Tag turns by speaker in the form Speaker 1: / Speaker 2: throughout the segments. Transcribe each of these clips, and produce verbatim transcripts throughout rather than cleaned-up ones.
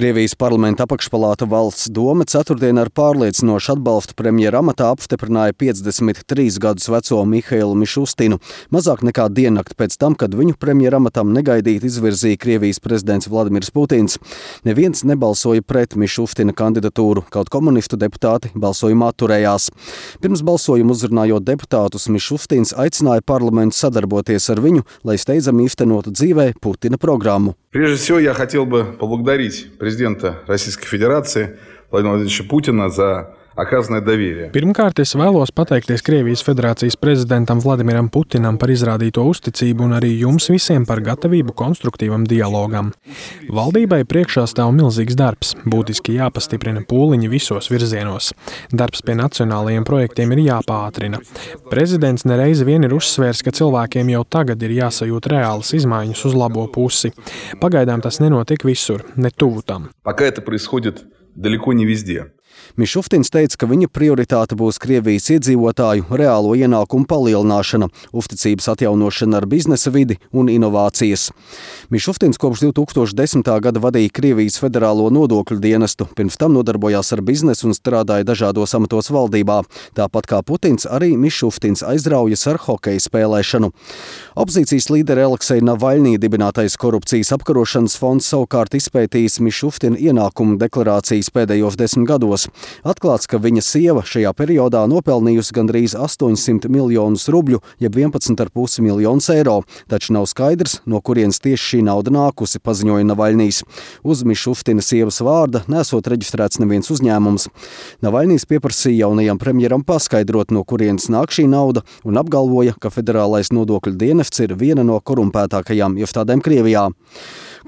Speaker 1: Krievijas parlamenta apakšpalāta Valsts doma ceturtdien ar pārliecinošu atbalstu premjera amatā apstiprināja piecdesmit trīs gadus veco Mihailu Mišustinu, mazāk nekā diennakti pēc tam, kad viņu premjera amatam negaidīti izvirzīja Krievijas prezidents Vladimirs Putins. Neviens nebalsoja pret Mišustina kandidatūru, kaut komunistu deputāti balsojumā atturējās. Pirms balsojuma uzrunājot deputātus, Mišustins aicināja parlamentu sadarboties ar viņu, lai steidzami īstenotu dzīvē Putina programmu.
Speaker 2: Прежде всего, я хотел бы поблагодарить президента Российской Федерации Владимира Владимировича Путина за оказанное доверие.
Speaker 3: Pirmkārt, es vēlos pateikties Krievijas Federācijas prezidentam Vladimiram Putinam par izrādīto uzticību un arī jums visiem par gatavību konstruktīvam dialogam. Valdībai priekšā stāv milzīgs darbs, būtiski jāpastiprina pūliņi visos virzienos. Darbs pie nacionālajiem projektiem ir jāpātrina. Prezidents nereizi vien ir uzsvērs, ka cilvēkiem jau tagad ir jāsajūt reālas izmaiņas uz labo pusi. Pagaidām tas nenotiek visur, ne tuvu tam.
Speaker 2: Пока это происходит далеко не везде.
Speaker 1: Mišustins teica, ka viņa prioritāte būs Krievijas iedzīvotāju reālo ienākumu palielināšana, uzticības atjaunošana ar biznesa vidi un inovācijas. Mišustins kopš divi tūkstoši desmitā gada vadīja Krievijas federālo nodokļu dienestu, pirms tam nodarbojās ar biznesu un strādāja dažādos amatos valdībā. Tāpat kā Putins, arī Mišustins aizraujas ar hokeja spēlēšanu. Opozīcijas līderi Aleksei Navaļnī dibinātais korupcijas apkarošanas fonds savukārt izpētījis Mišustina ienākumu deklarācijas pēdējos desmit gados. Atklāts, ka viņa sieva šajā periodā nopelnījusi gandrīz astoņsimt miljonus rubļu, jeb vienpadsmit ar pus miljonus eiro, taču nav skaidrs, no kurienes tieši šī nauda nākusi, paziņoja Navaļnīs. Uz Mišustina sievas vārda nesot reģistrēts neviens uzņēmums. Navaļnīs pieprasīja jaunajam premjeram paskaidrot, no kurienes nāk šī nauda, un apgalvoja, ka federālais nodokļu dienests ir viena no korumpētākajām iestādēm Krievijā.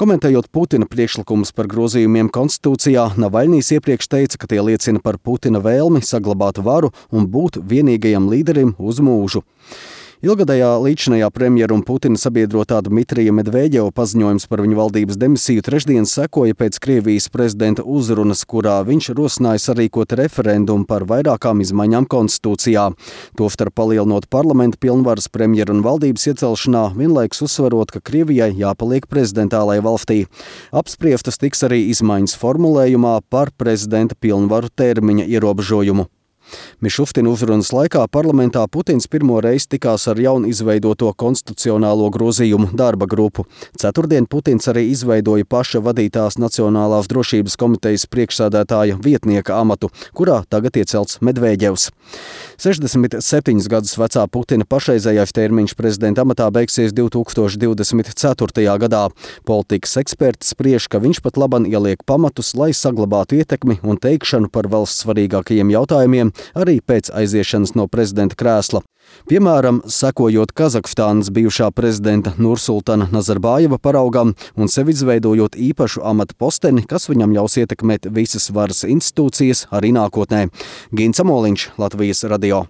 Speaker 1: Komentējot Putina priekšlikumus par grozījumiem konstitūcijā, Navaļnīs iepriekš teica, ka tie liecina par Putina vēlmi saglabāt varu un būt vienīgajam līderim uz mūžu. Ilgadējā līdzinājā premjera un Putina sabiedrotā Dmitrija Medveģeva paziņojums par viņa valdības demisiju trešdien sekoja pēc Krievijas prezidenta uzrunas, kurā viņš rosināja sarīkot referendumu par vairākām izmaiņām konstitūcijā. Tostarp palielinot parlamenta pilnvaras premjera un valdības iecelšanā, vienlaikus uzsverot, ka Krievijai jāpaliek prezidentālajai valstī. Apspriestas tiks arī izmaiņas formulējumā par prezidenta pilnvaru termiņa ierobežojumu. Mišustina uzrunas laikā parlamentā Putins pirmo reizi tikās ar jaunu izveidoto konstitucionālo grozījumu darba grupu. Ceturtdien Putins arī izveidoja paša vadītās Nacionālās drošības komitejas priekšsēdētāja vietnieka amatu, kurā tagad iecelts Medveģevs. sešdesmit septiņus gadus vecā Putina pašreizējais termiņš prezidenta amatā beigsies divi tūkstoši divdesmit ceturtajā gadā. Politikas eksperti spriež, ka viņš pat laban ieliek pamatus, lai saglabātu ietekmi un teikšanu par valsts svarīgākajiem jautājumiem, arī pēc aiziešanas no prezidenta krēsla. Piemēram, sekojot Kazahstānas bijušā prezidenta Nursultana Nazarbājeva paraugam un sevi izveidojot īpašu amata posteni, kas viņam ļaus ietekmēt visas varas institūcijas arī nākotnē. Gins Amoliņš, Latvijas radio.